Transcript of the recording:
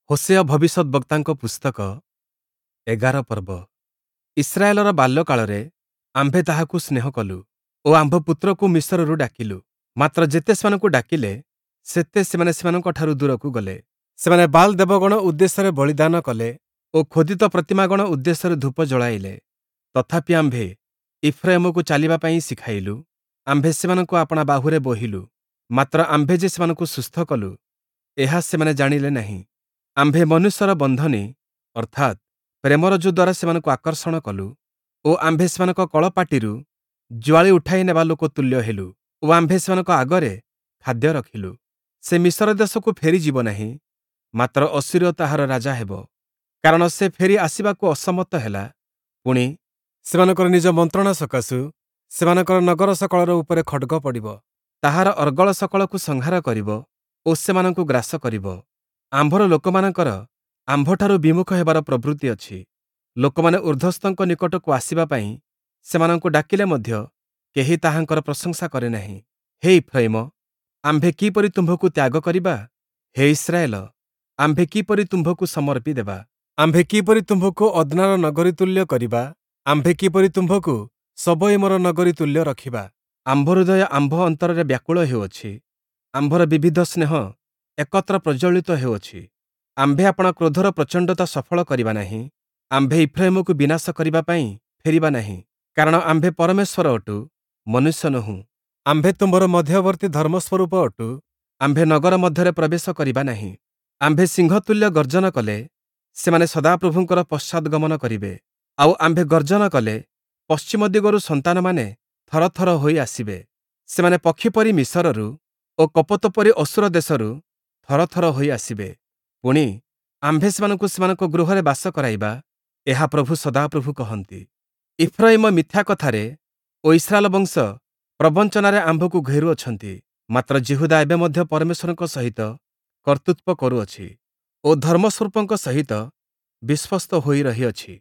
Hoshea ଭବିଷ୍ୟଦ୍‌ବକ୍ତାଙ୍କ ପୁସ୍ତକ 11 ପର୍ବ। ଇସ୍ରାଏଲର ବାଲ୍ୟକାଳରେ ଆମ୍ଭେ ତାହାକୁ ସ୍ନେହ କଲୁ ଓ ଆମ୍ଭ ପୁତ୍ରକୁ ମିଶରରୁ ଡାକିଲୁ। ମାତ୍ର ଯେତେ ସେମାନଙ୍କୁ ଡାକିଲେ, ସେତେ ସେମାନେ ସେମାନଙ୍କଠାରୁ ଦୂରକୁ ଗଲେ। ସେମାନେ ବାଲ୍ ଦେବଗଣ ଉଦ୍ଦେଶ୍ୟରେ ବଳିଦାନ କଲେ ଓ ଖୋଦିତ ପ୍ରତିମାଗଣ ଉଦ୍ଦେଶ୍ୟରେ ଧୂପ ଜଳାଇଲେ। ତଥାପି ଆମ୍ଭେ ଇଫ୍ରାଇମକୁ ଚାଲିବା ପାଇଁ ଶିଖାଇଲୁ, ଆମ୍ଭେ ସେମାନଙ୍କୁ ଆପଣା ବାହୁରେ ବୋହିଲୁ। ମାତ୍ର ଆମ୍ଭେ ଯେ ସେମାନଙ୍କୁ ସୁସ୍ଥ କଲୁ, ଏହା ସେମାନେ ଜାଣିଲେ ନାହିଁ। ଆମ୍ଭେ ମନୁଷ୍ୟର ବନ୍ଧନୀ ଅର୍ଥାତ୍ ପ୍ରେମରଜ୍ଜୁ ଦ୍ୱାରା ସେମାନଙ୍କୁ ଆକର୍ଷଣ କଲୁ ଓ ଆମ୍ଭେ ସେମାନଙ୍କ କଳପାଟିରୁ ଜୁଆଳି ଉଠାଇ ନେବା ଲୋକ ତୁଲ୍ୟ ହେଲୁ ଓ ଆମ୍ଭେ ସେମାନଙ୍କ ଆଗରେ ଖାଦ୍ୟ ରଖିଲୁ। ସେ ମିଶର ଦେଶକୁ ଫେରିଯିବ ନାହିଁ, ମାତ୍ର ଅଶୂରୀୟ ତାହାର ରାଜା ହେବ, କାରଣ ସେ ଫେରି ଆସିବାକୁ ଅସମ୍ମତ ହେଲା। ପୁଣି ସେମାନଙ୍କର ନିଜ ମନ୍ତ୍ରଣା ସକାଶୁ ସେମାନଙ୍କର ନଗର ସକଳର ଉପରେ ଖଡ଼୍ଗ ପଡ଼ିବ, ତାହାର ଅର୍ଗଳ ସକଳକୁ ସଂହାର କରିବ ଓ ସେମାନଙ୍କୁ ଗ୍ରାସ କରିବ। ଆମ୍ଭର ଲୋକମାନଙ୍କର ଆମ୍ଭଠାରୁ ବିମୁଖ ହେବାର ପ୍ରବୃତ୍ତି ଅଛି। ଲୋକମାନେ ଊର୍ଦ୍ଧ୍ୱସ୍ଥଙ୍କ ନିକଟକୁ ଆସିବା ପାଇଁ ସେମାନଙ୍କୁ ଡାକିଲେ ମଧ୍ୟ କେହି ତାହାଙ୍କର ପ୍ରଶଂସା କରେ ନାହିଁ। ହେ ଇଫ୍ରୟିମ, ଆମ୍ଭେ କିପରି ତୁମ୍ଭକୁ ତ୍ୟାଗ କରିବା? ହେ ଇସ୍ରାଏଲ, ଆମ୍ଭେ କିପରି ତୁମ୍ଭକୁ ସମର୍ପି ଦେବା? ଆମ୍ଭେ କିପରି ତୁମ୍ଭକୁ ଅଦ୍ନାର ନଗରୀ ତୁଲ୍ୟ କରିବା? ଆମ୍ଭେ କିପରି ତୁମ୍ଭକୁ ସବୋୟିମର ନଗରୀ ତୁଲ୍ୟ ରଖିବା? ଆମ୍ଭ ହୃଦୟ ଆମ୍ଭ ଅନ୍ତରରେ ବ୍ୟାକୁଳ ହେଉଅଛି, ଆମ୍ଭର ବିବିଧ ସ୍ନେହ ଏକତ୍ର ପ୍ରଜ୍ୱଳିତ ହେଉଅଛି। ଆମ୍ଭେ ଆପଣା କ୍ରୋଧର ପ୍ରଚଣ୍ଡତା ସଫଳ କରିବା ନାହିଁ, ଆମ୍ଭେ ଇଫ୍ରାଇମକୁ ବିନାଶ କରିବା ପାଇଁ ଫେରିବା ନାହିଁ। କାରଣ ଆମ୍ଭେ ପରମେଶ୍ୱର ଅଟୁ, ମନୁଷ୍ୟ ନୋହୁଁ। ଆମ୍ଭେ ତୁମ୍ଭର ମଧ୍ୟବର୍ତ୍ତୀ ଧର୍ମସ୍ୱରୂପ ଅଟୁ। ଆମ୍ଭେ ନଗର ମଧ୍ୟରେ ପ୍ରବେଶ କରିବା ନାହିଁ। ଆମ୍ଭେ ସିଂହ ତୁଲ୍ୟ ଗର୍ଜନ କଲେ ସେମାନେ ସଦାପ୍ରଭୁଙ୍କର ପଶ୍ଚାଦ୍‌ଗମନ କରିବେ। ଆଉ ଆମ୍ଭେ ଗର୍ଜନ କଲେ ପଶ୍ଚିମ ଦିଗରୁ ସନ୍ତାନମାନେ ଥରଥର ହୋଇ ଆସିବେ। ସେମାନେ ପକ୍ଷୀ ପରି ମିଶରରୁ ଓ କପୋତ ପରି ଅଶୂର ଦେଶରୁ ଥରଥର ହୋଇ ଆସିବେ। ପୁଣି ଆମ୍ଭେ ସେମାନଙ୍କୁ ସେମାନଙ୍କ ଗୃହରେ ବାସ କରାଇବା, ଏହା ପ୍ରଭୁ ସଦାପ୍ରଭୁ କହନ୍ତି। ଇଫ୍ରୟିମ ମିଥ୍ୟା କଥାରେ ଓ ଇସ୍ରାଏଲ ବଂଶ ପ୍ରବଞ୍ଚନାରେ ଆମ୍ଭକୁ ଘେରୁଅଛନ୍ତି। ମାତ୍ର ଯିହୁଦା ଏବେ ମଧ୍ୟ ପରମେଶ୍ୱରଙ୍କ ସହିତ କର୍ତ୍ତୃତ୍ୱ କରୁଅଛି ଓ ଧର୍ମସ୍ୱରୂପଙ୍କ ସହିତ ବିଶ୍ୱସ୍ତ ହୋଇ ରହିଅଛି।